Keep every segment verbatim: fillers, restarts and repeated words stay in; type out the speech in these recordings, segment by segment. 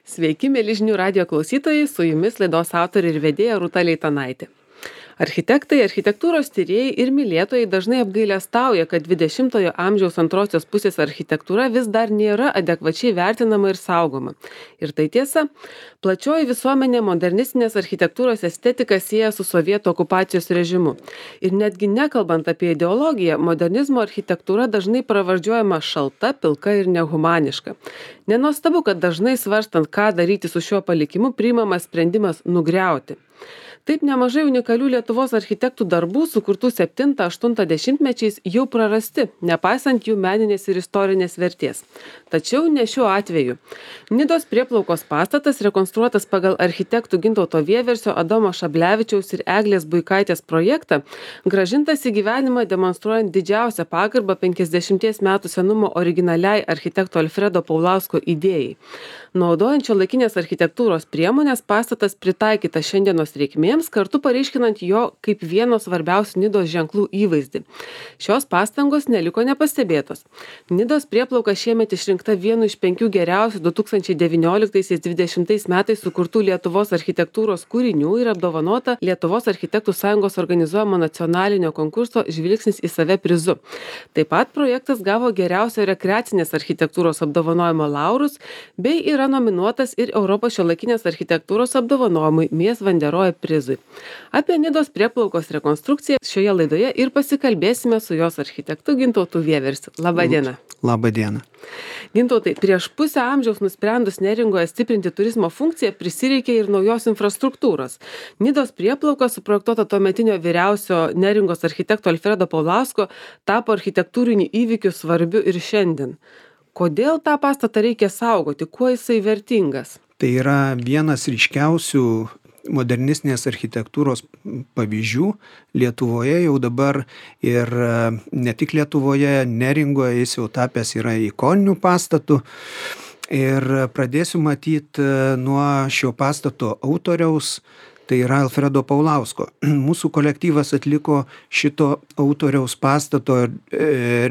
Sveiki, mieli žinių radijo klausytojai, su jumis laidos autorė ir vedėja Rūta Leitanaitė. Architektai, architektūros tyrėjai ir mylėtojai dažnai apgailestauja, kad dvidešimtojo amžiaus antrosios pusės architektūra vis dar nėra adekvačiai vertinama ir saugoma. Ir tai tiesa, plačioji visuomenė modernistinės architektūros estetiką sieja su sovietų okupacijos režimu. Ir netgi nekalbant apie ideologiją, modernizmo architektūra dažnai pravardžiuojama šalta, pilka ir nehumaniška. Nenuostabu, kad dažnai svarstant, ką daryti su šiuo palikimu, priimamas sprendimas nugriauti. Taip nemažai unikalių Lietuvos architektų darbų, sukurtų septinto-aštunto dešimtmečiais, jau prarasti, nepaisant jų meninės ir istorinės vertės. Tačiau ne šiuo atveju. Nidos prieplaukos pastatas, rekonstruotas pagal architektų Gintauto Vieversio, Adomo Šablevičiaus ir Eglės Buikaitės projektą, grąžintas į gyvenimą demonstruojant didžiausią pagarbą penkiasdešimties metų senumo originaliai architekto Alfredo Paulausko idėjai. Naudojant šiuolaikinės architektūros priemonės, pastatas pritaikytas šiandienos reikmėms, kartu pareiškinant jo kaip vieno svarbiausių Nidos ženklų įvaizdį. Šios pastangos neliko nepastebėtos. Nidos prieplauka šiemet išrinkta vienu iš penkių geriausių du tūkstančiai devynioliktais-dvidešimtais metais sukurtų Lietuvos architektūros kūrinių ir apdovanota Lietuvos architektų sąjungos organizuojamo nacionalinio konkurso Žvilgsnis į save prizu. Taip pat projektas gavo geriausio rekreacinės architektūros apdovanojimo laurus bei yra nominuotas ir Europos šiuolaikinės architektūros apdovanojimui Mies van der Rohe prizui. Apie Nidos prieplaukos rekonstrukciją šioje laidoje ir pasikalbėsime su jos architektu Gintautu Vieversiu. Labą dieną. Labą dieną. Gintautai, prieš pusę amžiaus nusprendus Neringoje stiprinti turizmo funkciją prisireikė ir naujos infrastruktūros. Nidos prieplauka, suprojektuota tuometinio vyriausio Neringos architekto Alfredo Paulausko, tapo architektūriniu įvykiu svarbiu ir šiandien. Kodėl tą pastatą reikia saugoti? Kuo jisai vertingas? Tai yra vienas ryškiausių modernistinės architektūros pavyzdžių Lietuvoje jau dabar ir ne tik Lietuvoje, Neringoje jis jau tapęs yra ikoniniu pastatu. Ir pradėsiu matyti nuo šio pastato autoriaus, tai yra Alfredo Paulausko. Mūsų kolektyvas atliko šito autoriaus pastato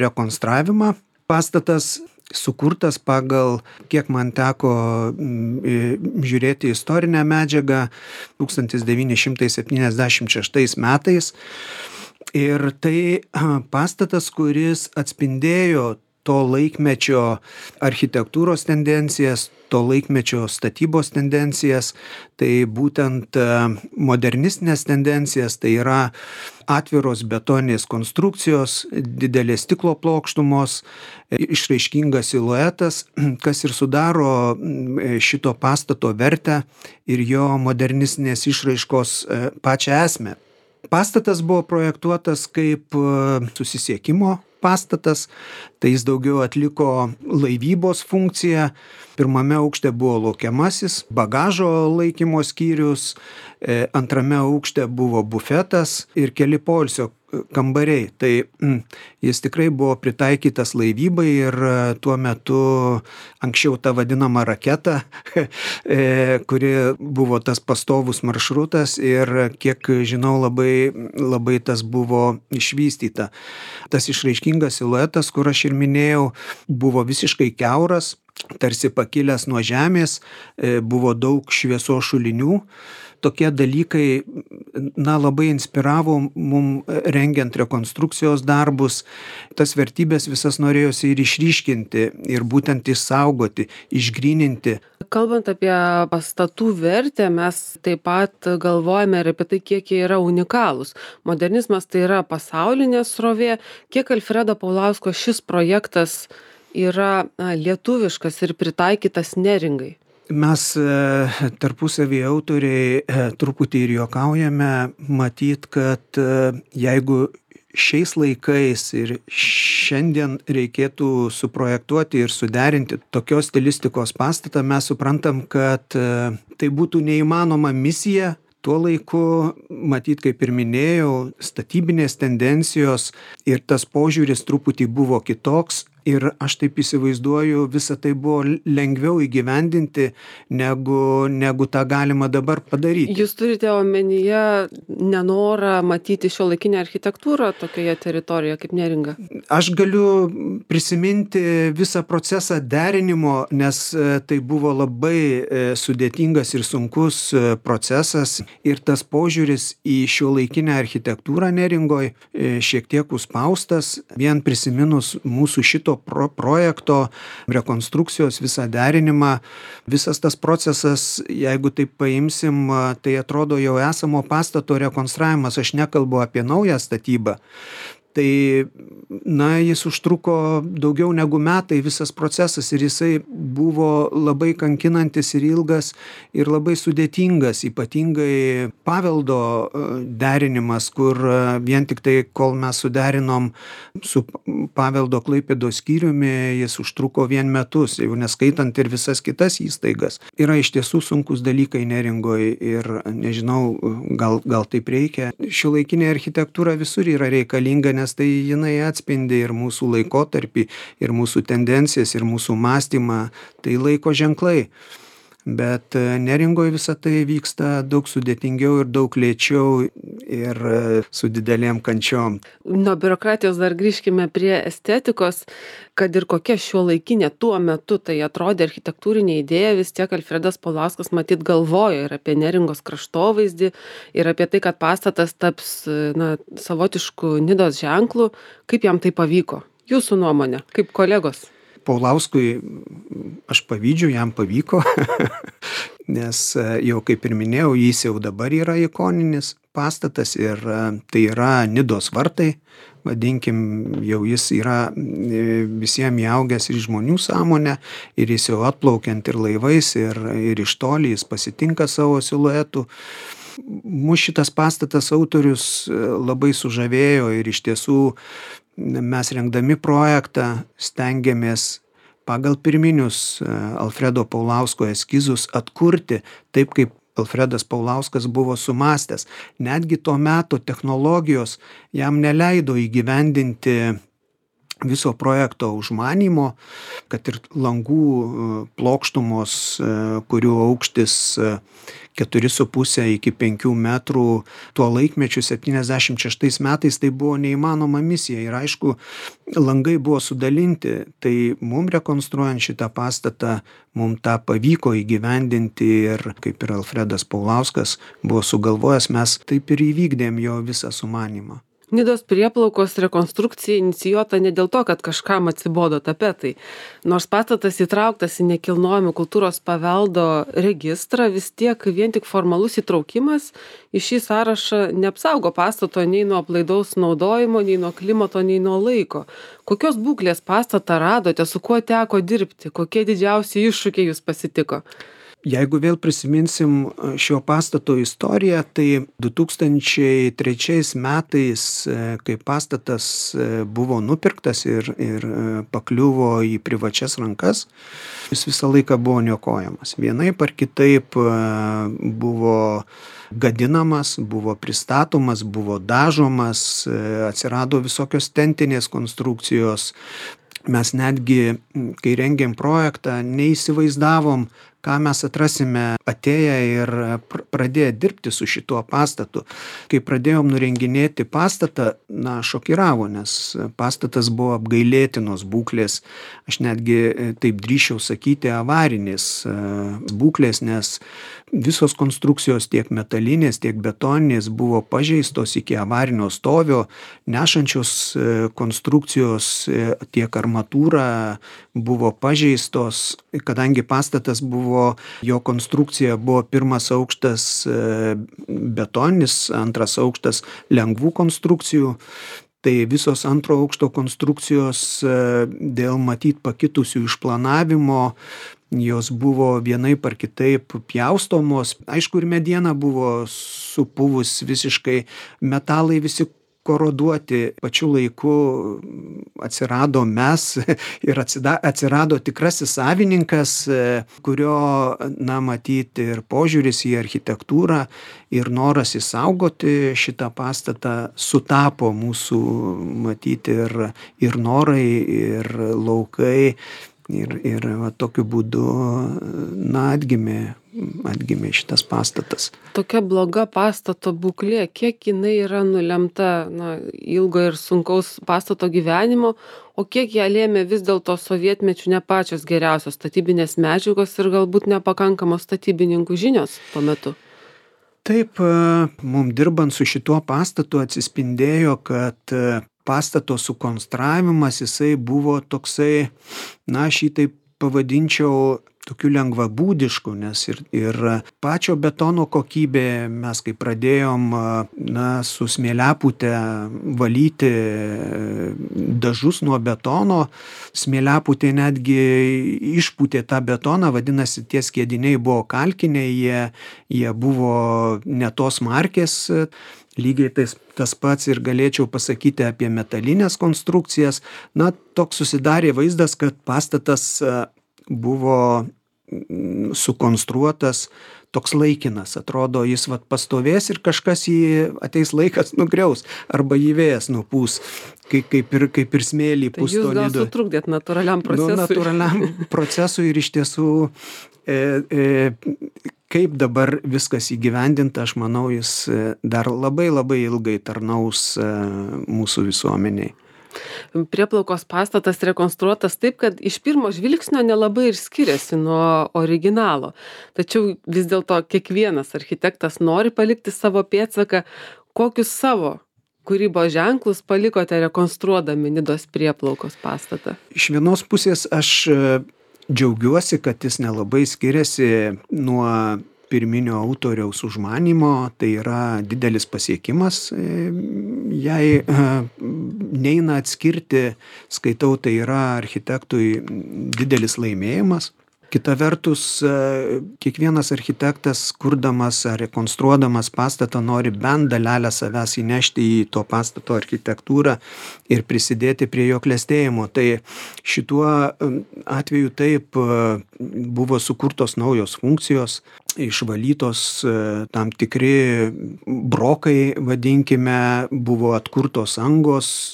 rekonstravimą. Pastatas sukurtas pagal, kiek man teko žiūrėti istorinę medžiagą, tūkstantis devyni šimtai septyniasdešimt šeštais metais. Ir tai pastatas, kuris atspindėjo to laikmečio architektūros tendencijas, to laikmečio statybos tendencijas, tai būtent modernistinės tendencijas, tai yra atviros betoninės konstrukcijos, didelės stiklo plokštumos, išraiškingas siluetas, kas ir sudaro šito pastato vertę ir jo modernistinės išraiškos pačią esmę. Pastatas buvo projektuotas kaip susisiekimo pastatas, tai jis daugiau atliko laivybos funkciją. Pirmame aukšte buvo laukiamasis, bagažo laikymo skyrius, antrame aukšte buvo bufetas ir keli poilsio kambariai. Tai mm, jis tikrai buvo pritaikytas laivybai ir tuo metu anksčiau ta vadinama raketa, kuri buvo tas pastovus maršrutas ir kiek žinau labai, labai tas buvo išvystyta. Tas išraiškingas siluetas, kur aš ir minėjau, buvo visiškai kiauras, tarsi pakilęs nuo žemės, buvo daug šviesos šulinių. Tokie dalykai, na, labai inspiravo mum rengiant rekonstrukcijos darbus. Tas vertybės visas norėjosi ir išryškinti, ir būtent išsaugoti, išgryninti. Kalbant apie pastatų vertę, mes taip pat galvojame ir apie tai, kiek jie yra unikalūs. Modernizmas tai yra pasaulinė srovė. Kiek Alfredo Paulausko šis projektas yra na, lietuviškas ir pritaikytas Neringai? Mes tarpusavį autoriai truputį ir juokaujame, matyt, kad jeigu šiais laikais ir šiandien reikėtų suprojektuoti ir suderinti tokios stilistikos pastatą, mes suprantam, kad tai būtų neįmanoma misija. Tuo laiku, matyt, kaip ir minėjau, statybinės tendencijos ir tas požiūris truputį buvo kitoks. Ir aš taip įsivaizduoju, visa tai buvo lengviau įgyvendinti, negu, negu tą galima dabar padaryti. Jūs turite omenyje nenorą matyti šiuolaikinę architektūrą tokioje teritorijoje kaip Neringa? Aš galiu prisiminti visą procesą derinimo, nes tai buvo labai sudėtingas ir sunkus procesas. Ir tas požiūris į šiuolaikinę architektūrą Neringoj šiek tiek užspaustas. Vien prisiminus mūsų šito pro projekto rekonstrukcijos visą derinimą, visas tas procesas, jeigu taip paimsim, tai atrodo jau esamo pastato rekonstravimas, aš nekalbu apie naują statybą. Tai, na, jis užtruko daugiau negu metai visas procesas ir jisai buvo labai kankinantis ir ilgas ir labai sudėtingas, ypatingai paveldo derinimas, kur vien tik tai, kol mes suderinom su paveldo Klaipėdos skyriumi, jis užtruko vien metus, jau neskaitant ir visas kitas įstaigas. Yra iš tiesų sunkus dalykai Neringoj ir nežinau, gal, gal taip reikia. Šiuolaikinė architektūra visur yra reikalinga, nes tai jinai atspindi ir mūsų laikotarpį, ir mūsų tendencijas, ir mūsų mąstymą, tai laiko ženklai. Bet Neringoje visą tai vyksta daug sudėtingiau ir daug lėčiau ir su didelėm kančiom. Nuo biurokratijos dar grįžkime prie estetikos, kad ir kokia šiuolaikinė tuo metu tai atrodė architektūrinė idėja, vis tiek Alfredas Paulauskas matyt galvojo ir apie Neringos kraštovaizdį, ir apie tai, kad pastatas taps na, savotišku Nidos ženklu. Kaip jam tai pavyko? Jūsų nuomonė, kaip kolegos? Paulauskui aš pavydžiu, jam pavyko, nes jau kaip ir minėjau, jis jau dabar yra ikoninis pastatas ir tai yra Nidos vartai, vadinkim, jau jis yra visiems įaugęs ir žmonių sąmonę ir jis jau atplaukiant ir laivais ir, ir iš toli jis pasitinka savo siluetų. Mūsų šitas pastatas autorius labai sužavėjo ir iš tiesų mes rengdami projektą stengiamės pagal pirminius Alfredo Paulausko eskizus atkurti taip, kaip Alfredas Paulauskas buvo sumastęs. Netgi tuo metu technologijos jam neleido įgyvendinti viso projekto užmanymo, kad ir langų plokštumos, kurių aukštis keturi su puse iki penkių metrų, tuo laikmečiu septyniasdešimt šeštais metais tai buvo neįmanoma misija ir aišku, langai buvo sudalinti, tai mums rekonstruojant šitą pastatą, mums tą pavyko įgyvendinti ir kaip ir Alfredas Paulauskas buvo sugalvojęs, mes taip ir įvykdėm jo visą sumanymą. Nidos prieplaukos rekonstrukcija inicijuota ne dėl to, kad kažkam atsibodo tapetai. Nors pastatas įtrauktas į nekilnojamo kultūros paveldo registrą, vis tiek vien tik formalus įtraukimas į šį sąrašą neapsaugo pastato nei nuo aplaidaus naudojimo, nei nuo klimato, nei nuo laiko. Kokios būklės pastatą radote, su kuo teko dirbti, kokie didžiausi iššūkiai jūs pasitiko? Jeigu vėl prisiminsim šio pastato istoriją, tai du tūkstančiai trečiais metais, kai pastatas buvo nupirktas ir, ir pakliuvo į privačias rankas, jis visą laiką buvo niokojamas. Vienaip ar kitaip buvo gadinamas, buvo pristatomas, buvo dažomas, atsirado visokios tentinės konstrukcijos. Mes netgi, kai rengėm projektą, neįsivaizdavom, ką mes atrasime atėję ir pradėję dirbti su šituo pastatu. Kai pradėjom nurenginėti pastatą, na, šokiravo, nes pastatas buvo apgailėtinos būklės, aš netgi taip drįsčiau sakyti avarinės būklės, nes visos konstrukcijos tiek metalinės, tiek betoninės buvo pažeistos iki avarinio stovio, nešančios konstrukcijos tiek armatūra buvo pažeistos, kadangi pastatas buvo, jo konstrukcija buvo pirmas aukštas betoninis, antras aukštas lengvų konstrukcijų. Tai visos antro aukšto konstrukcijos dėl matyt pakitusių išplanavimo, jos buvo vienaip ar kitaip pjaustomos. Aišku, ir mediena buvo supuvus visiškai, metalai visi koroduoti. Pačiu laiku atsirado mes ir atsida, atsirado tikrasis savininkas, kurio, na, matyti ir požiūris į architektūrą ir noras išsaugoti šitą pastatą sutapo mūsų, matyti ir, ir norai, ir laukai. Ir, ir va, tokiu būdu, na, atgimė, atgimė šitas pastatas. Tokia bloga pastato būklė, kiek jinai yra nulemta, na, ilgo ir sunkaus pastato gyvenimo, o kiek ją lėmė vis dėlto sovietmečių ne pačios geriausios statybinės medžiagos ir galbūt nepakankamos statybininkų žinios tuo metu? Taip, mums dirbant su šituo pastatu atsispindėjo, kad pastato sukonstravimas, jisai buvo toksai, na, aš jį taip pavadinčiau tokiu lengvabūdišku, nes ir, ir pačio betono kokybė, mes kai pradėjom, na, su smėliapūte valyti dažus nuo betono, smėliapūtė netgi išpūtė tą betoną, vadinasi, tie skiediniai buvo kalkiniai, jie, jie buvo ne tos markės. Lygiai tais, tas pats ir galėčiau pasakyti apie metalinės konstrukcijas. Na, toks susidarė vaizdas, kad pastatas buvo sukonstruotas toks laikinas. Atrodo, jis vat pastovės ir kažkas jį ateis laikas nugriaus arba jį vėjas nupūs, kaip, kaip, ir, kaip ir smėlį pūs to nido. Tai jūs gal sutrukdėt natūraliam procesui? Nu, natūraliam procesui ir iš tiesų e, e, kaip dabar viskas įgyvendinta, aš manau, jis dar labai labai ilgai tarnaus mūsų visuomeniai. Prieplaukos pastatas rekonstruotas taip, kad iš pirmo žvilgsnio nelabai ir skiriasi nuo originalo. Tačiau vis dėlto kiekvienas architektas nori palikti savo pėdsaką. Kokius savo kūrybos ženklus palikote rekonstruodami Nidos Prieplaukos pastatą? Iš vienos pusės aš džiaugiuosi, kad jis nelabai skiriasi nuo pirminio autoriaus užmanymo, tai yra didelis pasiekimas. Jei neina atskirti, skaitau, tai yra architektui didelis laimėjimas. Kita vertus, kiekvienas architektas, kurdamas ar rekonstruodamas pastatą, nori bent dalelę savęs įnešti į to pastato architektūrą ir prisidėti prie jo klestėjimo. Tai šituo atveju taip buvo sukurtos naujos funkcijos, išvalytos tam tikri brokai, vadinkime, buvo atkurtos angos,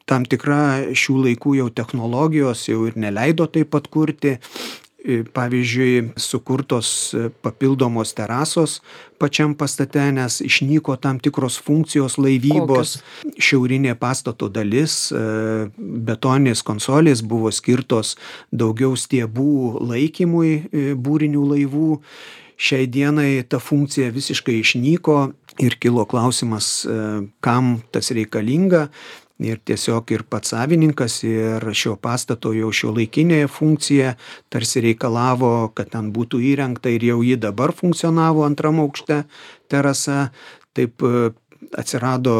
tam tikra šių laikų jau technologijos jau ir neleido taip atkurti. Pavyzdžiui, sukurtos papildomos terasos pačiam pastate, nes išnyko tam tikros funkcijos laivybos. Kokios? Šiaurinė pastato dalis, betoninės konsolės buvo skirtos daugiau stiebų laikymui būrinių laivų. Šiai dienai ta funkcija visiškai išnyko ir kilo klausimas, kam tas reikalinga. Ir tiesiog ir pats savininkas ir šio pastato jau šiuolaikinė funkcija tarsi reikalavo, kad ten būtų įrengta ir jau ji dabar funkcionavo antram aukšte terasa. Taip atsirado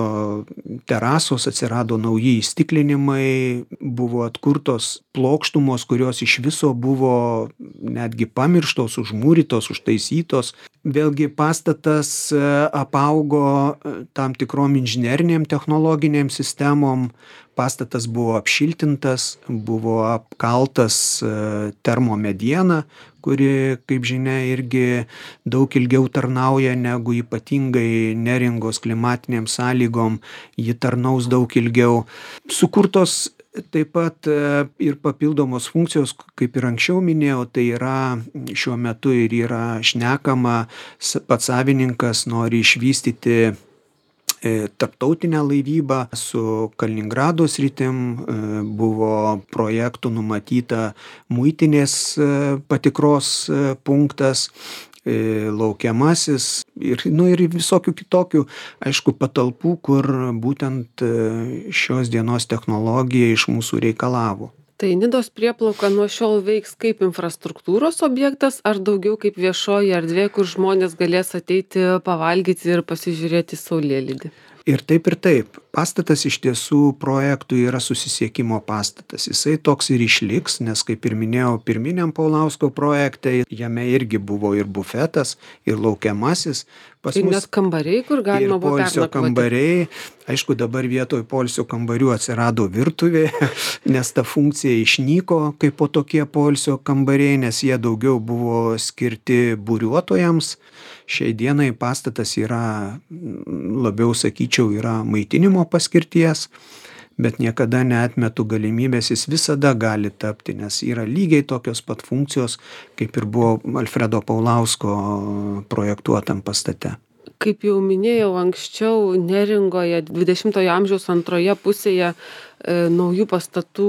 terasos, atsirado nauji įstiklinimai, buvo atkurtos plokštumos, kurios iš viso buvo netgi pamirštos, užmūrytos, užtaisytos. Vėlgi pastatas apaugo tam tikrom inžinerinėm technologinėm sistemom, pastatas buvo apšiltintas, buvo apkaltas termomediena, kuri, kaip žinia, irgi daug ilgiau tarnauja negu ypatingai neringos klimatinėm sąlygom, ji tarnaus daug ilgiau. Sukurtos taip pat ir papildomos funkcijos, kaip ir anksčiau minėjau, tai yra šiuo metu ir yra šnekama, pats savininkas nori išvystyti tarptautinę laivybą su Kaliningrado sritim, buvo projektų numatyta muitinės patikros punktas, laukiamasis ir, nu, ir visokių kitokių, aišku, patalpų, kur būtent šios dienos technologija iš mūsų reikalavo. Tai Nidos Prieplauka nuo šiol veiks kaip infrastruktūros objektas ar daugiau kaip viešoji erdvė, kur žmonės galės ateiti pavalgyti ir pasižiūrėti saulėlydį? Ir taip ir taip. pastatas iš tiesų projektui yra susisiekimo pastatas. Jisai toks ir išliks, nes kaip ir minėjau, pirminiam Paulausko projekte jame irgi buvo ir bufetas, ir laukiamasis. Pas Tai mus net kambariai, kur galima ir buvo poilsio pernakvoti. kambariai. Aišku, dabar vietoj poilsio kambarių atsirado virtuvė, nes ta funkcija išnyko kaip po tokie poilsio kambariai, nes jie daugiau buvo skirti būriuotojams. Šiai dienai pastatas yra, labiau sakyčiau, yra maitinimo paskirties, bet niekada neatmetu galimybės, jis visada gali tapti, nes yra lygiai tokios pat funkcijos, kaip ir buvo Alfredo Paulausko projektuotam pastate. Kaip jau minėjau anksčiau, Neringoje dvidešimtojo amžiaus antroje pusėje e, naujų pastatų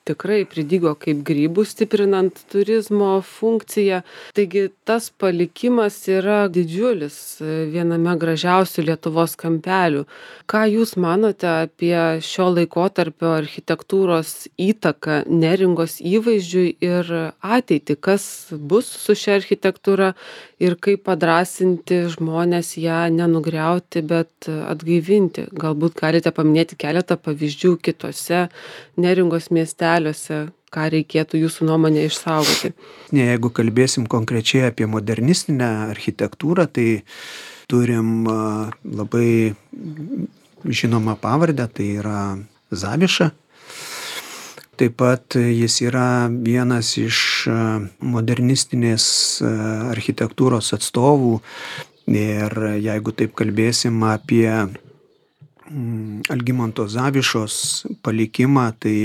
tikrai pridygo kaip grybų, stiprinant turizmo funkciją. Taigi tas palikimas yra didžiulis e, viename gražiausių Lietuvos kampelių. Ką Jūs manote apie šio laikotarpio architektūros įtaką Neringos įvaizdžiui ir ateitį? Kas bus su šia architektūra ir kaip padrąsinti žmones ją nenugriauti, bet atgaivinti? Galbūt galite paminėti keletą pavyzdžių kitose Neringos miesteliuose, ką reikėtų Jūsų nuomonė išsaugoti. Ne, jeigu kalbėsim konkrečiai apie modernistinę architektūrą, tai turim a, labai žinomą pavardę, tai yra Zaviša. Taip pat jis yra vienas iš modernistinės architektūros atstovų ir jeigu taip kalbėsim apie Algimanto Zavišos palikimą, tai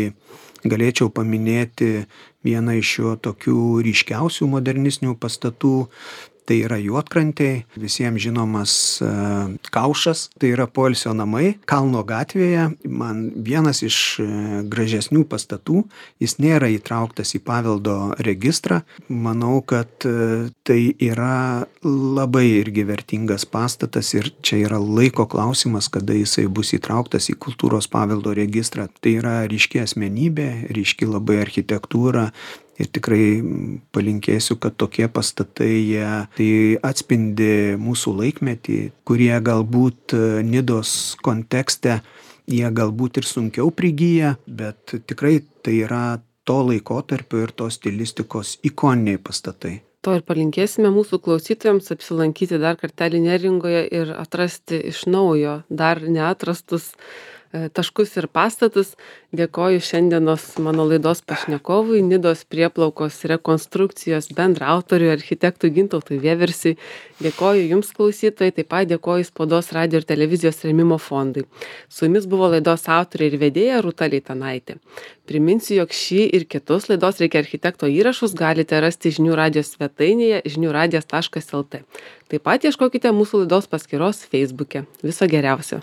galėčiau paminėti vieną iš jo tokių ryškiausių modernistinių pastatų. Tai yra Juodkrantėj, visiems žinomas uh, Kaušas, tai yra poilsio namai Kalno gatvėje. Man vienas iš uh, gražesnių pastatų, jis nėra įtrauktas į paveldo registrą. Manau, kad uh, tai yra labai irgi vertingas pastatas ir čia yra laiko klausimas, kada jisai bus įtrauktas į kultūros paveldo registrą. Tai yra ryški asmenybė, ryški labai architektūra. Ir tikrai palinkėsiu, kad tokie pastatai jie tai atspindi mūsų laikmetį, kurie galbūt Nidos kontekste jie galbūt ir sunkiau prigyja, bet tikrai tai yra to laikotarpio ir tos stilistikos ikoniniai pastatai. To ir palinkėsime mūsų klausytojams apsilankyti dar kartelį Neringoje ir atrasti iš naujo dar neatrastus taškus ir pastatus. Dėkoju šiandienos mano laidos pašnekovui, Nidos prieplaukos rekonstrukcijos bendraautoriui, architektui Gintautui Vieversiui. Dėkoju Jums klausytojai, taip pat dėkoju Spaudos radijo ir televizijos rėmimo fondui. Su Jumis buvo laidos autorė ir vedėja Rūta Leitanaitė. Priminsiu, jog šį ir kitus laidos Reikia architekto įrašus galite rasti žinių radijos svetainėje žinių radijas taškas el tė. Taip pat ieškokite mūsų laidos paskyros Feisbuke. Viso geriausio.